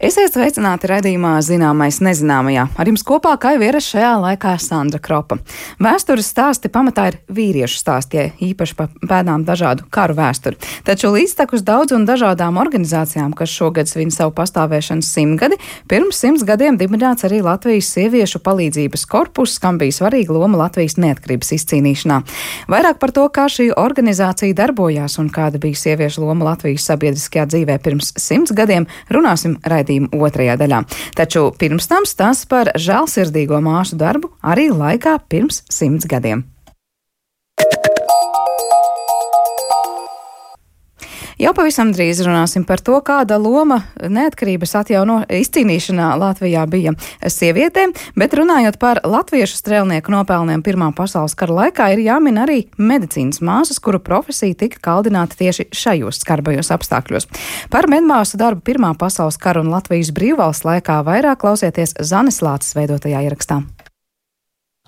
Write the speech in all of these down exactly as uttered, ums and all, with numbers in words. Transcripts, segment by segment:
Esiet sveicināti raidījumā Zināmais nezināmajā. Ar jums kopā kā jau ierasts šajā laikā Sandra Kropa. Vēstures stāsti pamatā ir vīriešu stāstie, īpaši pa pēdām dažādu karu vēsturi. Taču līdztekus daudz un dažādām organizācijām, kas šogad svin savu pastāvēšanas simtgadi, pirms simts gadiem dibināts arī Latvijas sieviešu palīdzības korpus, kam bija svarīga loma Latvijas neatkarības izcīnīšanā. Vairāk par to, kā šī organizācija darbojās un kāda bija sieviešu loma Latvijas sabiedriskajā dzīvē pirms simts gadiem, runāsim raidījumā otrajā daļā. Taču pirms tam stāsts par žēlsirdīgo māsu darbu arī laikā pirms simts gadiem. Jau pavisam drīz runāsim par to, kāda loma neatkarības atjauno izcīnīšanā Latvijā bija sievietēm, bet runājot par latviešu strēlnieku nopelniem Pirmā pasaules kara laikā, ir jāmin arī medicīnas māsas, kuru profesija tika kaldināta tieši šajos skarbajos apstākļos. Par medmāsu darbu Pirmā pasaules kara un Latvijas brīvvalsts laikā vairāk klausieties Zanes Lāces veidotajā ierakstā.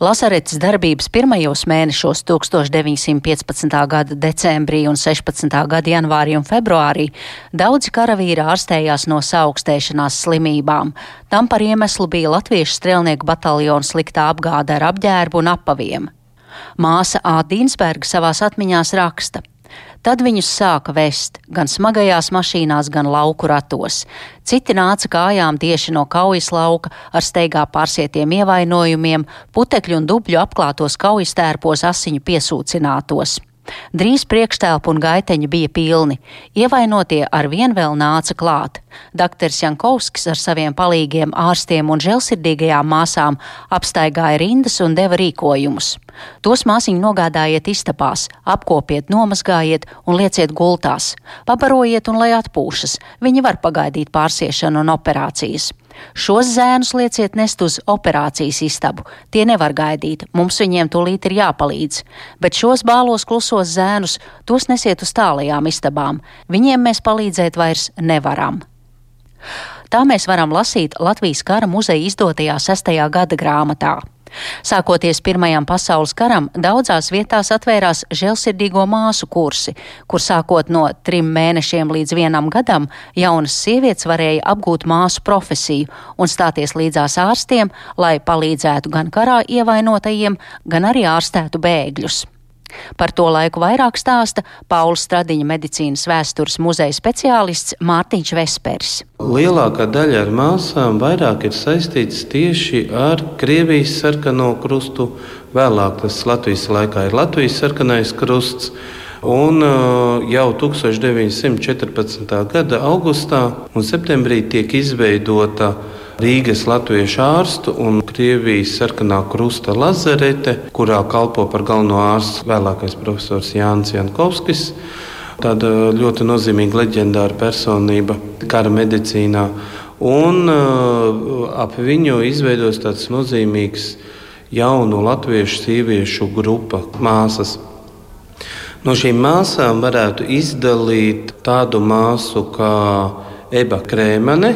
Lasaretes darbības pirmajos mēnešos tūkstoš deviņsimt piecpadsmitā gada decembrī un sešpadsmitā gada janvārī un februārī daudzi karavīri ārstējās no saaugstēšanās slimībām. Tam par iemeslu bija latviešu strēlnieku bataljona sliktā apgāde ar apģērbu un apaviem. Māsa Ā. Dīnsberga savās atmiņās raksta: Tad viņus sāka vest gan smagajās mašīnās, gan lauku ratos. Citi nāca kājām tieši no kaujas lauka ar steigā pārsietiem ievainojumiem, putekļu un dubļu apklātos kaujas tērpos asiņu piesūcinātos. Drīz priekštēlpu un gaiteņi bija pilni. Ievainotie ar vien vēl nāca klāt. Dakters Jankovskis ar saviem palīgiem ārstiem un žēlsirdīgajām māsām apstaigāja rindas un deva rīkojumus. Tos māsiņi nogādājiet istabās, apkopiet, nomazgājiet un lieciet gultās. Pabarojiet un lai atpūšas, viņi var pagaidīt pārsiešanu un operācijas. Šos zēnus lieciet nest uz operācijas istabu. Tie nevar gaidīt, mums viņiem tūlīt ir jāpalīdz. Bet šos bālos klusos zēnus, tos nesiet uz tālajām istabām. Viņiem mēs palīdzēt vairs nevaram. Tā mēs varam lasīt Latvijas kara muzeja izdotajā sestajā gada grāmatā. Sākoties Pirmajam pasaules karam, daudzās vietās atvērās žēlsirdīgo māsu kursi, kur sākot no trim mēnešiem līdz vienam gadam jaunas sievietes varēja apgūt māsu profesiju un stāties līdzās ārstiem, lai palīdzētu gan karā ievainotajiem, gan arī ārstētu bēgļus. Par to laiku vairāk stāsta Paula Stradiņa medicīnas vēstures muzeja speciālists Mārtiņš Vesperis. Lielākā daļa ar māsām vairāk ir saistīts tieši ar Krievijas sarkano krustu. Vēlāk tas Latvijas laikā ir Latvijas sarkanais krusts. Un jau tūkstoš deviņsimt četrpadsmitā gada augustā un septembrī tiek izveidota Rīgas latviešu ārstu un Krievijas sarkanā krusta lazarete, kurā kalpo par galveno ārstu vēlākais profesors Jānis Jankovskis. Tāda ļoti nozīmīga leģendāra personība kara medicīnā. Un uh, ap viņu izveidos tāds nozīmīgs jaunu latviešu sieviešu grupa māsas. No šīm māsām varētu izdalīt tādu māsu kā Eba Krēmane.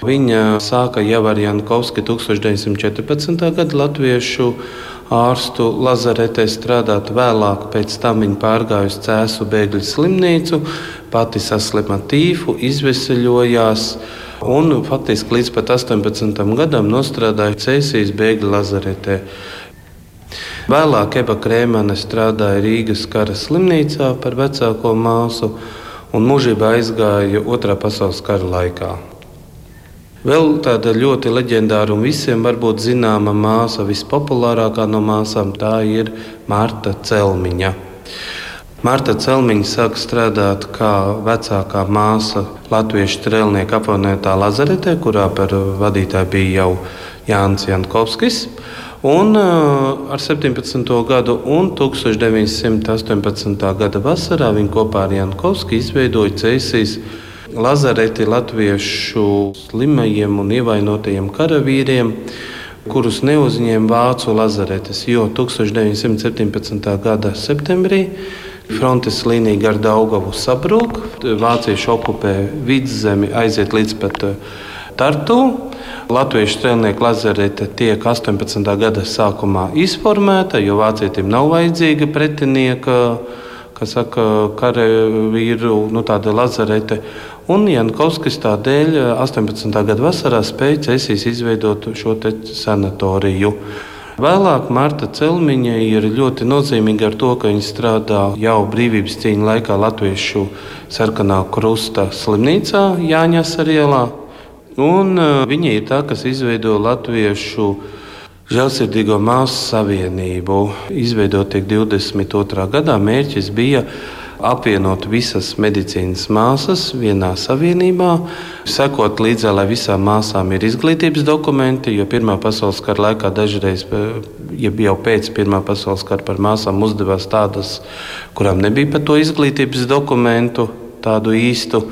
Viņa sāka jau ar Jankovski tūkstoš deviņsimt četrpadsmitā gada latviešu ārstu lazaretē strādāt. Vēlāk pēc tam viņa pārgāja uz Cēsu bēgļu slimnīcu, pati saslima tīfu, izveseļojās un faktiski līdz pat astoņpadsmitam gadam nostrādāja Cēsīs bēgļu lazaretē. Vēlāk Eba Krēmane strādāja Rīgas kara slimnīcā par vecāko māsu un mūžībā aizgāja Otrā pasaules kara laikā. Vēl tāda ļoti leģendāra un visiem varbūt zināma māsa, vispopulārākā no māsām, tā ir Marta Celmiņa. Marta Celmiņa sāka strādāt kā vecākā māsa latviešu strēlnieku apvienotā lazaretē, kurā par vadītāju bija jau Jānis Jankovskis. Un ar septiņpadsmito gadu un tūkstoš deviņsimt astoņpadsmitā gada vasarā viņa kopā ar Jankovski izveidoja Cēsīs lazareti latviešu slimajiem un ievainotajiem karavīriem, kurus neuzņēma vācu lazaretes, jo tūkstoš deviņsimt septiņpadsmitā gada septembrī frontes līnija gar Daugavu sabrūk, vācieši okupē Vidzemi, aiziet līdz pat Tartu. Latviešu strēlnieku lazarete tiek astoņpadsmitā gada sākumā izformēta, jo vācietim nav vajadzīga pretinieka, kas saka, karavīru, nu tāda lazarete. Un Jankovskis tādēļ astoņpadsmitā gada vasarā spēja Cēsīs izveidot šo te sanatoriju. Vēlāk Marta Celmiņa ir ļoti nozīmīga ar to, ka viņa strādā jau brīvības cīņu laikā Latviešu sarkanā krusta slimnīcā Jāņas ielā. Un viņa ir tā, kas izveido Latviešu žēlsirdīgo māsu savienību. Izveidot tiek divdesmit otrā gadā, mērķis bija apvienot visas medicīnas māsas vienā savienībā, sekot līdzā, lai visām māsām ir izglītības dokumenti, jo Pirmā pasaules kara laikā dažreiz, ja jau pēc Pirmā pasaules kara par māsām uzdevās tādas, kurām nebija par to izglītības dokumentu, tādu īstu.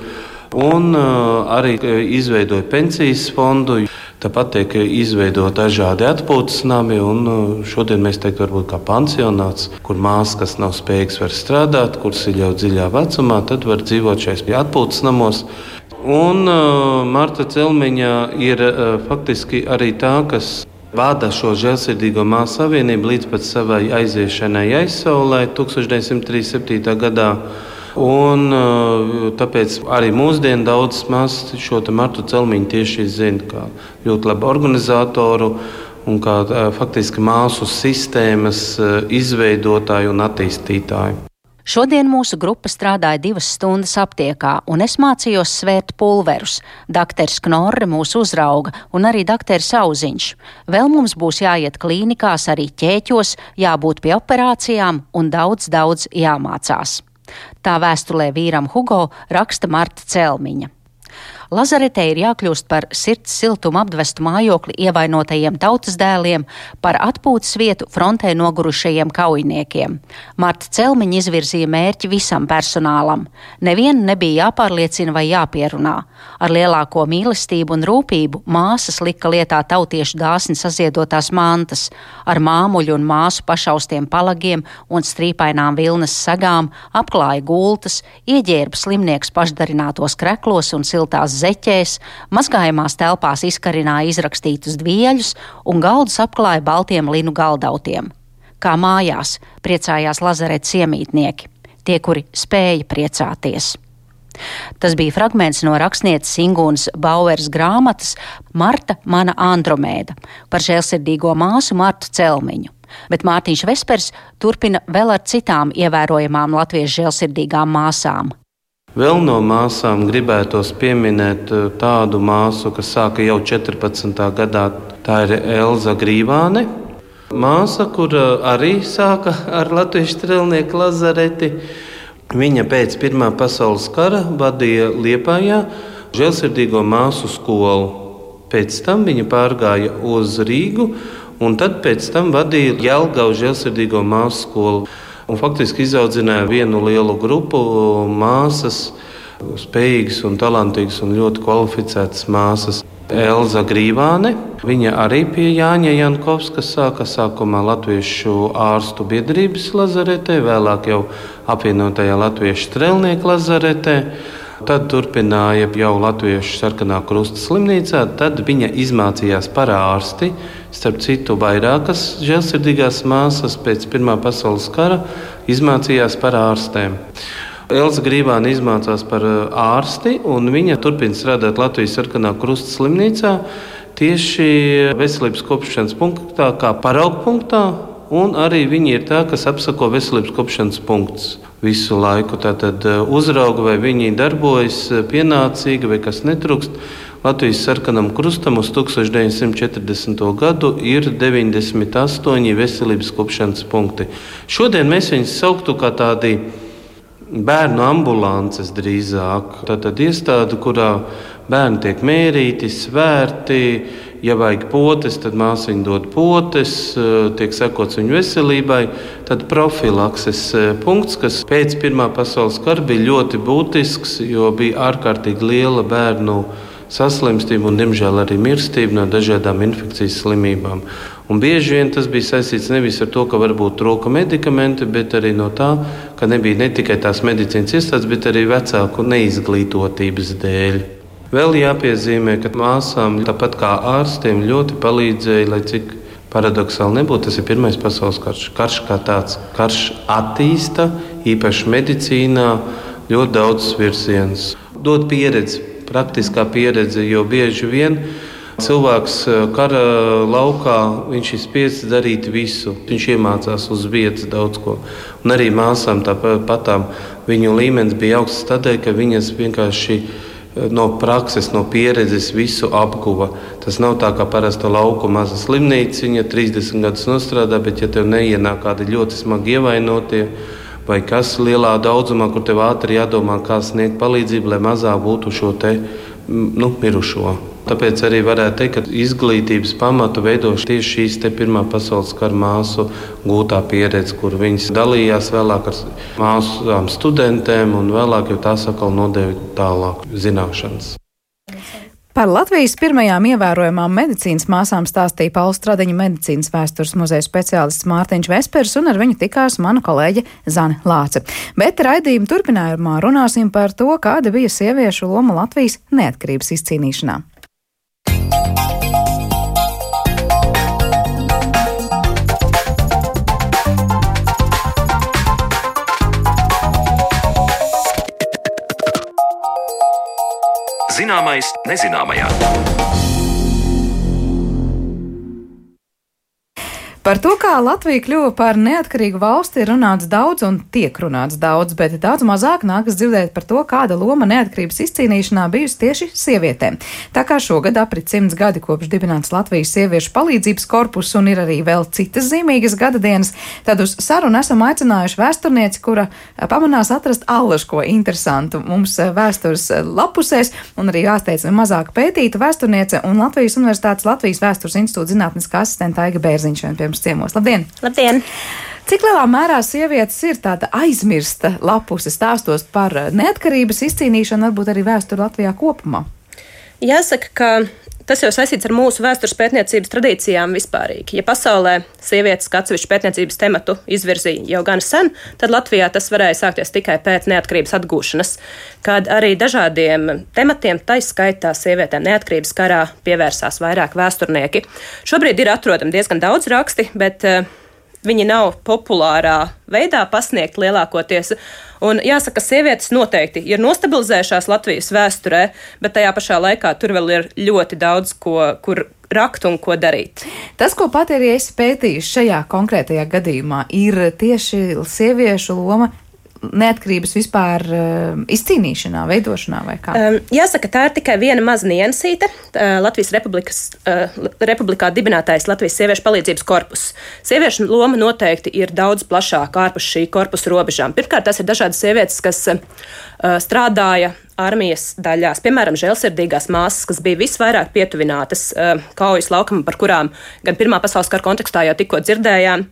Un uh, arī izveidoja pensijas fondu, tāpat tiek izveidot dažādi atpūtas nami, un uh, šodien mēs teiktu varbūt kā pansionāts, kur māsas, kas nav spējīgas var strādāt, kuras ir jau dziļā vecumā, tad var dzīvot šais atpūtas namos. Un uh, Marta Celmiņa ir uh, faktiski arī tā, kas vada šo žēlsirdīgo māsu savienību līdz pat savai aiziešanai aizsaulē tūkstoš deviņsimt trīsdesmit septītā gadā. Un, tāpēc arī mūsdienu daudzas māsas šo Martu Celmiņu tieši zina kā ļoti labu organizatoru un kā faktiski māsu sistēmas izveidotāju un attīstītāju. Šodien mūsu grupa strādāja divas stundas aptiekā, un es mācījos svērt pulverus. Dakters Knorre mūs uzrauga, un arī dakters Auziņš. Vēl mums būs jāiet klīnikās, arī ķēķos, jābūt pie operācijām un daudz, daudz jāmācās. Tā vēstulē vīram Hugo raksta Marta Celmiņa. Lazaretē ir jākļūst par sirds siltumu apdvestu mājokli ievainotajiem tautas dēliem, par atpūtas vietu frontē nogurušajiem kaujiniekiem. Marta Celmiņa izvirzīja mērķi visam personālam. Nevienu nebija jāpārliecina vai jāpierunā. Ar lielāko mīlestību un rūpību māsas lika lietā tautiešu dāsni saziedotās mantas, ar māmuļu un māsu pašaustiem palagiem un strīpainām vilnas sagām, apklāja gultas, ieģērba slimnieks pašdarinātos kreklos un siltās zeķēs, mazgājamās telpās izkarināja izrakstītus dvieļus un galdus apklāja baltiem linu galdautiem. Kā mājās, priecājās Lazaretes iemītnieki, tie, kuri spēja priecāties. Tas bija fragments no rakstnieces Ingūnas Baueras grāmatas Marta, mana Andromēda par žēlsirdīgo māsu Martu Celmiņu. Bet Mārtiņš Vespers turpina vēl ar citām ievērojamām latviešu žēlsirdīgām māsām. Vēl no māsām gribētos pieminēt tādu māsu, kas sāka jau četrpadsmitā gadā. Tā ir Elza Grīvāne. Māsa, kur arī sāka ar latviešu strelnieku lazareti. Viņa pēc Pirmā pasaules kara vadīja Liepājā žēlsirdīgo māsu skolu. Pēc tam viņa pārgāja uz Rīgu, un tad pēc tam vadīja Jelgavu žēlsirdīgo māsu skolu. Un faktiski izaudzināja vienu lielu grupu māsas, spējīgas un talantīgas un ļoti kvalificētas māsas. Elza Grīvāne, viņa arī pie Jāņa Jankovska sāka sākumā Latviešu ārstu biedrības lazaretē, vēlāk jau apvienotajā Latviešu strelnieku lazaretē. Tad turpināja jau Latviešu sarkanā krusta slimnīcā, tad viņa izmācījās par ārsti. Starp citu, vairākas žēlsirdīgās māsas pēc Pirmā pasaules kara izmācījās par ārstēm. Elza Grīvāne izmācās par ārsti, un viņa turpina strādāt Latvijas sarkanā krusta slimnīcā tieši veselības kopšanas punktā, kā paraugpunktā, un arī viņa ir tā, kas apsako veselības kopšanas punktus visu laiku. Tātad uzrauga, vai viņi darbojas pienācīgi, vai kas netrūkst. Latvijas sarkanam krustam uz tūkstoš deviņsimt četrdesmito gadu ir deviņdesmit astoņi veselības kopšanas punkti. Šodien mēs viņus sauktu kā tādi bērnu ambulances drīzāk. Tātad iestāde, kurā bērni tiek mērīti, svērti. Ja vajag potes, tad māsiņa dod potes, tiek sekots viņu veselībai. Tad profilakses punkts, kas pēc Pirmā pasaules kara bija ļoti būtisks, jo bija ārkārtīgi liela bērnu saslimstība un, diemžēl, arī mirstība no dažādām infekcijas slimībām. Un bieži vien tas bija saistīts nevis ar to, ka varbūt trūka medikamenti, bet arī no tā, ka nebija ne tikai tās medicīnas iestādes, bet arī vecāku neizglītotības dēļ. Vēl jāpiezīmē, ka māsām, tāpat kā ārstiem, ļoti palīdzēja, lai cik paradoxāli nebūtu, tas ir Pirmais pasaules karš. Karš kā tāds, karš attīsta, īpaši medicīnā, ļoti daudz virzienus. dot pieredzi, praktiskā pieredze, jo bieži vien cilvēks kara laukā, viņš ir spiests darīt visu. Viņš iemācās uz vietas daudz ko. Un arī māsām tāpatām viņu līmenis bija augsts tādēļ, ka viņas vienkārši no prakses, no pieredzes visu apguva. Tas nav tā kā parasta lauku maza slimnīciņa, trīsdesmit gadus nostrādā, bet ja tev neienāk kādi ļoti smagi ievainotie vai kas lielā daudzumā, kur tev ātri jādomā, kā sniegt palīdzību, lai mazāk būtu šo te nu, mirušo. Tāpēc arī varētu teikt, ka izglītības pamatu veido tieši šīs te Pirmā pasaules kara māsu gūtā pieredze, kur viņas dalījās vēlāk ar māsām studentēm un vēlāk jau tās atkal nodeva tālāk zināšanas. Par Latvijas pirmajām ievērojamām medicīnas māsām stāstīja Paula Stradiņa medicīnas vēstures muzeja speciālists Mārtiņš Vespers, un ar viņu tikās mana kolēģe Zane Lāce. Bet raidījuma turpinājumā runāsim par to, kāda bija sieviešu loma Latvijas neatkarības izcīnīšanā. Zināmais nezināmajā. Par to, kā Latvija kļuva par neatkarīgu valsti, ir runāts daudz un tiek runāts daudz, bet daudz mazāk nākas dzirdēt par to, kāda loma neatkarības izcīnīšanā bijusi tieši sievietēm. Tā kā šogad aprit simts gadi kopš dibināts Latvijas sieviešu palīdzības korpus un ir arī vēl citas zīmīgas gada dienas, tad uz sarunu esam aicinājuši vēsturnieci, kura pamanās atrast allažko interesantu mums vēstures lapusēs un arī jāsteicami mazāk pētīta vēsturniece un Latvijas Universitātes Latvijas Vēstures institūta zinātniskā asistenta Aiga Bērziņš. Ciemos. Labdien! Labdien! Cik lielā mērā sievietes ir tāda aizmirsta lapuse stāstos par neatkarības izcīnīšanu, varbūt arī vēsturi Latvijā kopumā? Jāsaka, ka tas jau saistīts ar mūsu vēstures pētniecības tradīcijām vispārīgi. Ja pasaulē sievietes kā atsevišķu pētniecības tematu izvirzīja jau gan sen, tad Latvijā tas varēja sākties tikai pēc neatkarības atgūšanas, kad arī dažādiem tematiem, tais skaitā sievietēm neatkarības karā, pievērsās vairāk vēsturnieki. Šobrīd ir atrodami diezgan daudz raksti, bet uh, viņi nav populārā veidā pasniegt lielākoties. Un jāsaka, sievietes noteikti ir nostabilizējušās Latvijas vēsturē, bet tajā pašā laikā tur vēl ir ļoti daudz, ko, kur rakt un ko darīt. Tas, ko pat arī esi pētījuši šajā konkrētajā gadījumā, ir tieši sieviešu loma neatkarības vispār uh, izcīnīšanā, veidošanā vai kā? Um, jāsaka, tā ir tikai viena maza niansīte. Uh, Latvijas Republikas, uh, Republikā dibinātais Latvijas sieviešu palīdzības korpus. Sieviešu loma noteikti ir daudz plašāka ārpus šī korpusa robežām. Pirmkārt, tas ir dažādas sievietes, kas uh, strādāja armijas daļās, piemēram, žēlsirdīgās māsas, kas bija visvairāk pietuvinātas uh, kaujas laukumam, par kurām gan Pirmā pasaules kara kontekstā jau tikko dzirdējām.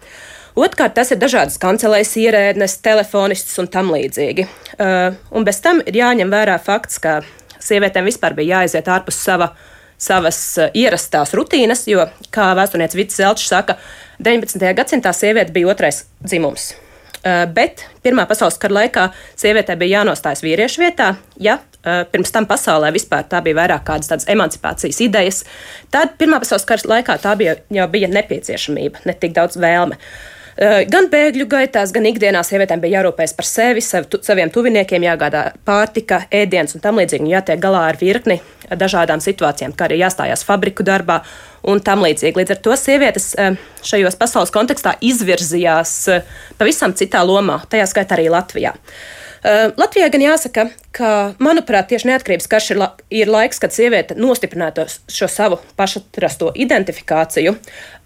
Otkārt, tas ir dažādas kancelēs ierēdnes, telefonistas un tam līdzīgi. Uh, un bez tam ir jāņem vērā fakts, ka sievietēm vispār bija jāaiziet ārpus sava, savas uh, ierastās rutīnas, jo, kā vēsturniece Vits Zelčs saka, deviņpadsmitajā gadsimtā sieviete bija otrais dzimums. Uh, bet Pirmā pasaules kara laikā sievietē bija jānostājas vīriešu vietā, ja uh, pirms tam pasaulē vispār tā bija vairāk kādas tādas emancipācijas idejas. Tad Pirmā pasaules kara laikā tā bija, jau bija nepieciešamība, ne tik daudz vēlme. Gan bēgļu gaitās, gan ikdienā sievietēm bija jārūpējas par sevi, sav, tu, saviem tuviniekiem, jāgādā pārtika, ēdiens un tam līdzīgi, un jātiek galā ar virkni dažādām situācijām, kā arī jāstājās fabriku darbā un tam līdzīgi. Līdz ar to sievietes šajos pasaules kontekstā izvirzījās pavisam citā lomā, tajā skaitā arī Latvijā. Uh, Latvijā gan jāsaka, ka, manuprāt, tieši neatkarības karš ir, la, ir laiks, kad sieviete nostiprinātu šo savu pašatrasto identifikāciju.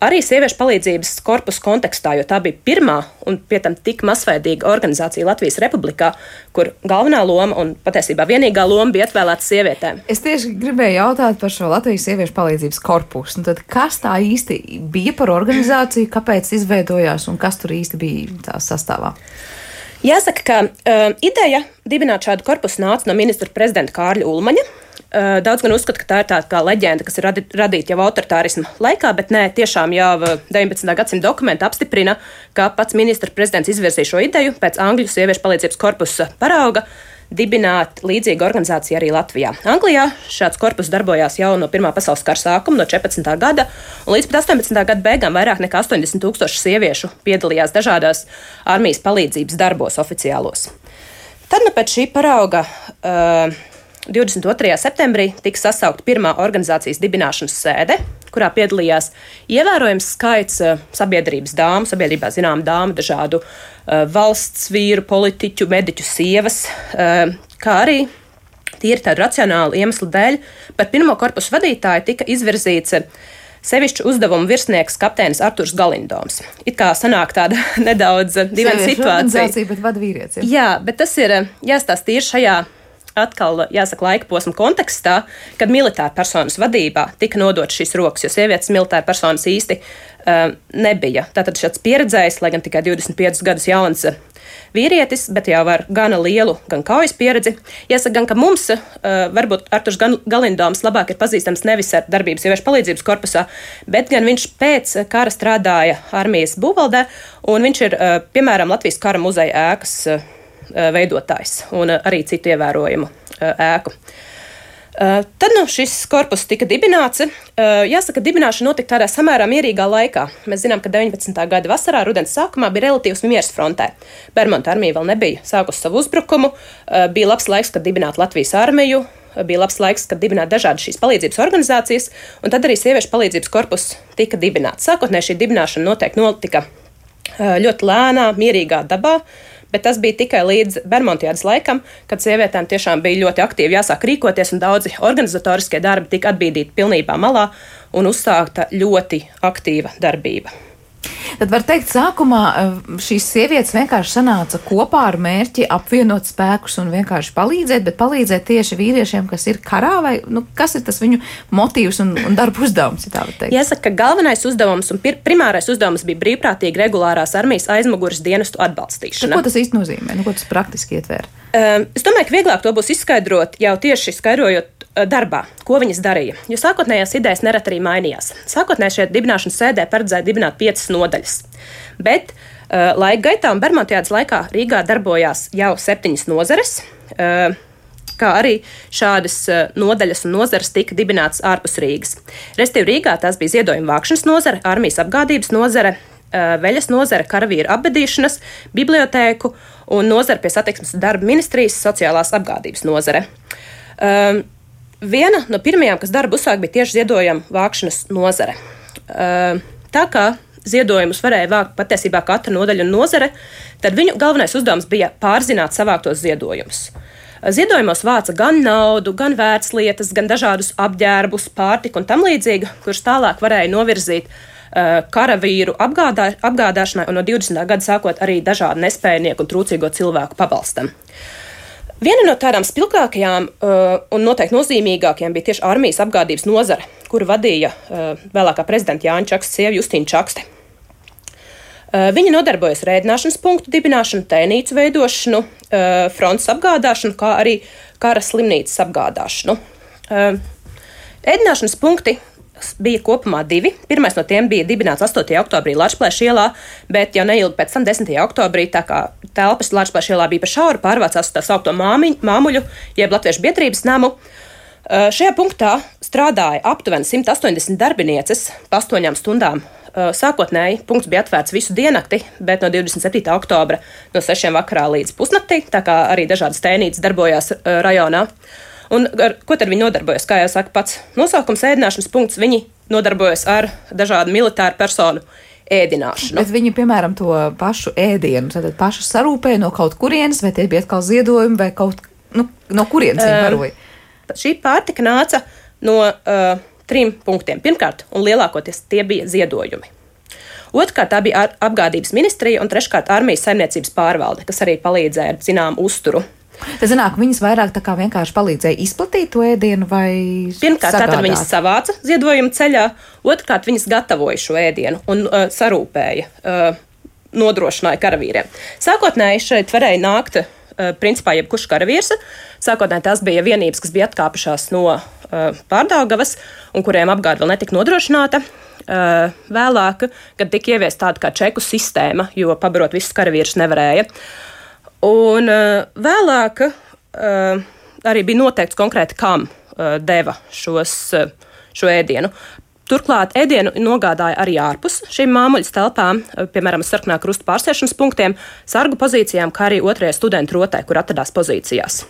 Arī sieviešu palīdzības korpusa kontekstā, jo tā bija pirmā un pie tam tik masveidīga organizācija Latvijas Republikā, kur galvenā loma un patiesībā vienīgā loma bija atvēlēta sievietēm. Es tieši gribēju jautāt par šo Latvijas sieviešu palīdzības korpusu. Tad kas tā īsti bija par organizāciju, kāpēc izveidojās un kas tur īsti bija tā sastāvā? Jāsaka, ka uh, ideja dibināt šādu korpusu nāca no ministra prezidenta Kārļa Ulmaņa. Uh, daudz gan uzskata, ka tā ir tāda kā leģenda, kas ir radi, radīta jau autoritārisma laikā, bet nē, tiešām jau deviņpadsmitā gadsimta dokumenti apstiprina, ka pats ministra prezidents izvirzīja šo ideju pēc Angļu sieviešu palīdzības korpusa parauga dibināt līdzīgu organizāciju arī Latvijā. Anglijā šāds korpus darbojās jau no Pirmā pasaules kara sākuma, no četrpadsmitā gada, un līdz pat astoņpadsmitā gada beigām vairāk nekā astoņdesmit tūkstoši sieviešu piedalījās dažādās armijas palīdzības darbos oficiālos. Tad nu pēc šī parauga uh, divdesmit otrajā septembrī tika sasaukta pirmā organizācijas dibināšanas sēde, kurā piedalījās ievērojams skaits sabiedrības dāmu, sabiedrībā zinām dāmu, dažādu uh, valsts vīru, politiķu, mediķu sievas, uh, kā arī tīri tādu racionālu iemeslu dēļ par pirmo korpusu vadītāju tika izvirzīts sevišķu uzdevumu virsnieks kapteinis Arturs Galindoms. It kā sanāk tāda nedaudz dīvaina situācija. Bet vada vīrietis. Jā, bet tas ir jāstāsta tīri šajā atkal, jāsaka, laika posma kontekstā, kad militāra personas vadībā tika nodot šīs rokas, jo sievietes militāra personas īsti uh, nebija. Tātad šāds pieredzējis, lai gan tikai divdesmit piecus gadus jauns vīrietis, bet jau ar gana lielu gan kaujas pieredzi. Jāsaka gan, ka mums uh, varbūt Arturs Galindoms labāk ir pazīstams nevis ar darbību sieviešu palīdzības korpusā, bet gan viņš pēc kara strādāja armijas būvvaldē, un viņš ir, uh, piemēram, Latvijas kara muzeja ēkas uh, veidotājs un arī citu ievērojumu ēku. Tad nu, šis korpus tika dibināts. Jāsaka, dibināšana notika tādā samērā mierīgā laikā. Mēs zinām, ka deviņpadsmitā gada vasarā, rudens sākumā bija relatīvs miers frontē. Bermonta armija vēl nebija sākusi savu uzbrukumu. Bija labs laiks, kad dibināt Latvijas armiju. Bija labs laiks, kad dibināt dažādas šīs palīdzības organizācijas. Un tad arī sieviešu palīdzības korpus tika dibināts. Sākotnēji šī dibināšana noteikti notika ļoti lēnā, mierīgā dabā. Bet tas bija tikai līdz Bermontiādas laikam, kad sievietēm tiešām bija ļoti aktīvi jāsāk rīkoties, un daudzi organizatoriskie darbi tika atbīdīti pilnībā malā un uzsākta ļoti aktīva darbība. Tad var teikt, sākumā šīs sievietes vienkārši sanāca kopā ar mērķi apvienot spēkus un vienkārši palīdzēt, bet palīdzēt tieši vīriešiem, kas ir karā, vai nu, kas ir tas viņu motīvs un, un darba uzdevums, ja tā var teikt? Jāsaka, ka galvenais uzdevums un primārais uzdevums bija brīvprātīgi regulārās armijas aizmugures dienestu atbalstīšana. Tad, ko tas īsti nozīmē? Nu, ko tas praktiski ietver? Um, es domāju, ka vieglāk to būs izskaidrot jau tieši skaidrojot darbā, ko viņas darīja, jo sākotnējās idejas nerad arī mainījās. Sākotnēji šeit dibināšanas sēdē paredzēja dibināt piecas nodaļas, bet uh, laika gaitā un Bermontiādas laikā Rīgā darbojās jau septiņas nozares, uh, kā arī šādas uh, nodaļas un nozares tika dibinātas ārpus Rīgas. Restīvi Rīgā tās bija ziedojuma vākšanas nozare, armijas apgādības nozare, uh, veļas nozare, karavīru apbedīšanas, bibliotēku un nozare pie satiksmes darba ministrijas sociālās apgādības nozare. Uh, Viena no pirmajām, kas darbu uzsāk, bija tieši ziedojuma vākšanas nozare. Tā kā ziedojumus varēja vākt patiesībā katra nodaļa un nozare, tad viņu galvenais uzdevums bija pārzināt savāktos ziedojumus. Ziedojumos vāca gan naudu, gan vērtslietas, gan dažādus apģērbus, pārtiku un tam līdzīgi, kurus tālāk varēja novirzīt karavīru apgādā, apgādāšanai un no divdesmitā gada sākot arī dažādu nespējnieku un trūcīgo cilvēku pabalstam. Viena no tādām spilgtākajām uh, un noteikti nozīmīgākajām bija tieši armijas apgādības nozare, kuru vadīja uh, vēlākā prezidenta Jāņa Čakstes sieva Justīna Čakste. Uh, viņa nodarbojas ar ēdināšanas punktu dibināšanu, tēnīcu veidošanu, uh, frontes apgādāšanu, kā arī kara slimnīcas apgādāšanu. Uh, ēdināšanas punkti bija kopumā divi. Pirmais no tiem bija dibināts astotajā oktobrī Lačplēša ielā, bet jau neilgi pēc tam desmitajā oktobrī, tā kā telpas Lačplēša ielā bija par šauru, pārvācās uz tā saukto māmiņu, māmuļu, jeb Latviešu biedrības namu. Šajā punktā strādāja aptuveni simt astoņdesmit darbinieces pa astoņām stundām. Sākotnēji punkts bija atvērts visu diennakti, bet no divdesmit septītā oktobra no sešiem vakarā līdz pusnaktī, tā kā arī dažādas tēnītes darbojās rajonā. Un ar ko tad viņi nodarbojas? Kā jau saka pats nosaukums ēdināšanas punkts, viņi nodarbojas ar dažādu militāru personu ēdināšanu. Bet viņi, piemēram, to pašu ēdienu, tad paši sarūpēja no kaut kurienes, vai tie bija atkal ziedojumi, vai kaut, nu, no kurienes viņi baroja? Uh, šī pārtika nāca no uh, trim punktiem. Pirmkārt, un lielākoties tie bija ziedojumi. Otrkārt, tā bija apgādības ministrija, un treškārt armijas saimniecības pārvalde, kas arī palīdzēja ar zinām uzturu. Tad zināk, viņas vairāk tā kā vienkārši palīdzēja izplatīt to ēdienu vai Pirmkārt, sagādāt? Tātad viņas savāca ziedojumu ceļā, otrkārt viņas gatavoja šo ēdienu un uh, sarūpēja, uh, nodrošināja karavīriem. Sākotnēji šeit varēja nākt, uh, principā, jebkurš karavīrs. Sākotnēji tās bija vienības, kas bija atkāpušās no uh, Pārdaugavas un kuriem apgāde vēl netika nodrošināta. Uh, vēlāk, kad tika ieviesta tāda kā čeku sistēma, jo pabarot visus karavīrus nevarēja. Un uh, vēlāk uh, arī bija noteikts konkrēti, kam uh, deva šos, uh, šo ēdienu. Turklāt ēdienu nogādāja arī ārpus šīm māmuļas telpām, piemēram, sarkanā krusta pārsēšanas punktiem, sargu pozīcijām, kā arī otrajai studentu rotai, kur atradās pozīcijās.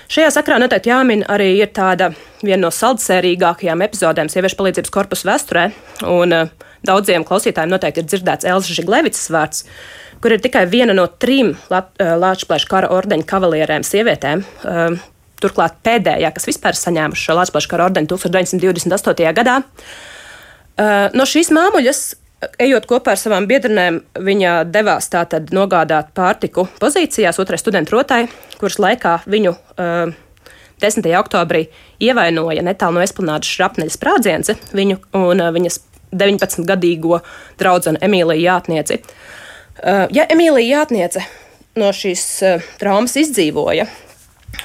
Šajā sakrā noteikti jāmin arī ir tāda viena no saldsērīgākajām epizodēm sieviešu palīdzības korpusa vēsturē, un daudziem klausītājiem noteikti ir dzirdēts Elzas Žiglevicas vārds, kur ir tikai viena no trim Lāčplēša kara ordeņa kavalierēm sievietēm, turklāt pēdējā, kas vispār saņēmuši šo Lāčplēša kara ordeņu tuldstoš deviņsimt divdesmit astotajā gadā. No šīs māmuļas, ejot kopā ar savām biedrenēm, viņa devās tātad nogādāt pārtiku pozīcijās otrai studentu rotai, kuras laikā viņu uh, desmitajā oktobrī ievainoja netālu no Esplanādes šrapneļa sprādziens viņu un uh, viņas deviņpadsmitgadīgo draudzeni Emīliju Jātnieci. Uh, ja Emīlija Jātniece no šīs uh, traumas izdzīvoja,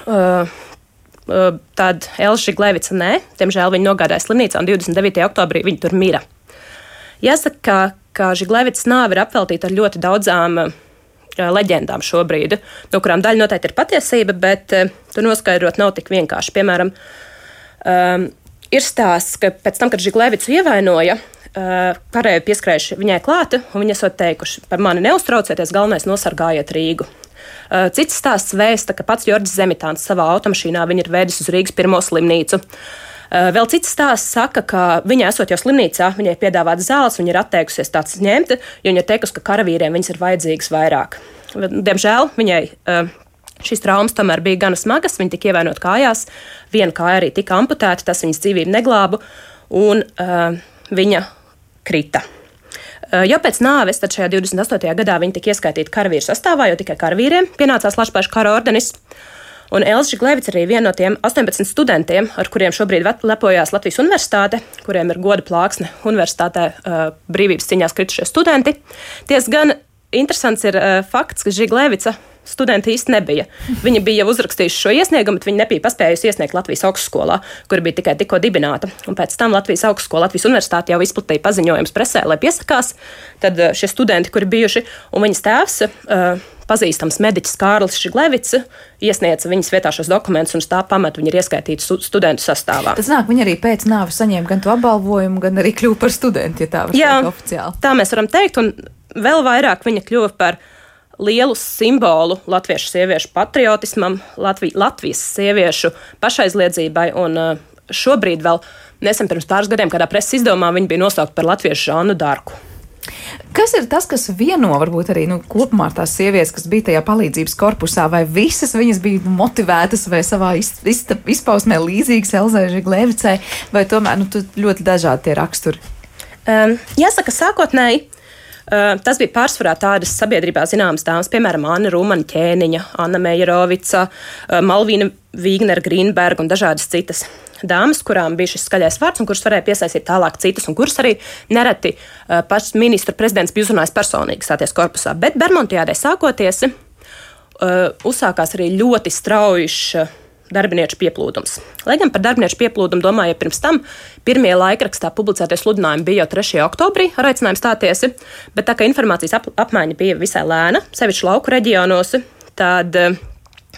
uh, uh, tad Elza Žiglevica nē, diemžēl viņa nogādāja slimnīcā un divdesmit devītajā oktobrī viņa tur mira. Jāsaka, ka, ka Žiglevicas nāve ir apveltīta ar ļoti daudzām uh, leģendām šobrīd, no kurām daļa noteikti ir patiesība, bet uh, to noskaidrot nav tik vienkārši. Piemēram, um, ir stāsts, ka pēc tam, kad Žiglevicu ievainoja, uh, kareivi pieskrējuši viņai klāta, un viņi esot teikuši, par mani neuztraucieties, galvenais nosargājiet Rīgu. Uh, cits stāsts vēsta, ka pats Jorģis Zemitāns savā automašīnā viņu ir vēdis uz Rīgas pirmo slimnīcu. Uh, vēl cits stāsts saka, ka viņa esot jau slimnīcā, viņai piedāvāts zāles, viņa ir atteikusies tāds ņemt, jo viņa ir teikusi, ka karavīriem viņas ir vajadzīgas vairāk. Diemžēl viņai uh, šīs traumas tomēr bija gana smagas, viņa tika ievainot kājās, viena kāja arī tika amputēta, tas viņas dzīvību neglāba, un uh, viņa krita. Uh, jau pēc nāves, tad šajā divdesmit astotajā gadā viņa tika ieskaitīta karavīru sastāvā, jo tikai karavīriem pienācās Lāčplēša kara ordenis. Un Elza Žiglevica arī viena no tiem astoņpadsmit studentiem, ar kuriem šobrīd lepojās Latvijas universitāte, kuriem ir goda plāksne universitātē uh, brīvības cīņās kritušie studenti. Ties gan interesants ir uh, fakts, ka Žiglevica studenti īsti nebija. Viņa bija jau uzrakstījuši šo iesniegumu, bet viņa nebija paspējusi iesniegt Latvijas augstskolā, kur bija tikai tikko dibināta. Un pēc tam Latvijas augstskola, Latvijas universitāte jau izplatīja paziņojums presē, lai piesakās. Tad uh, šie studenti, kuri bijuši, un viņas tēvs, uh, pazīstams mediķis Kārlis Žiglevics, iesniedza viņas vietā šos dokumentus, un uz tā pamata viņa ir ieskaitīta studentu sastāvā. Tas nāk, viņa arī pēc nāves saņēma gan to apbalvojumu, gan arī kļuva par studentu, ja tā var teikt oficiāli. Tā mēs varam teikt, un vēl vairāk viņa kļuva par lielu simbolu latviešu sieviešu patriotismam, Latvi, Latvijas sieviešu pašaizliedzībai, un šobrīd vēl nesen pirms pāris gadiem kādā preses izdevumā viņa bija nosaukta par latviešu Žannu Darku. Kas ir tas, kas vieno varbūt arī nu, kopumā tās sievietes, kas bija tajā palīdzības korpusā, vai visas viņas bija motivētas vai savā izpausmē līdzīgas Elzai Žiglevicai, vai tomēr nu, ļoti dažādi tie raksturi? Um, jāsaka, sākotnēji uh, tas bija pārsvarā tādas sabiedrībā zināmas dāmas, piemēram, Anna Rūmana Ķēniņa, Anna Meijerovica, uh, Malvīna Vīgnera Grīnberga un dažādas citas dāmas, kurām bija šis skaļais vārds un kuras varēja piesaistīt tālāk citas, un kuras arī nereti uh, pats ministra prezidents bija uzrunājis personīgi stāties korpusā. Bet Bermontiādē sākoties, uh, uzsākās arī ļoti straujš uh, darbinieku pieplūdums. Lai gan par darbinieku pieplūdumu domāja pirms tam, pirmie laikrakstā publicētie sludinājumi bija jau trešajā oktobrī ar aicinājumu stāties, bet tā kā informācijas ap apmaiņa bija visai lēna, sevišķi lauku reģionos, tad uh,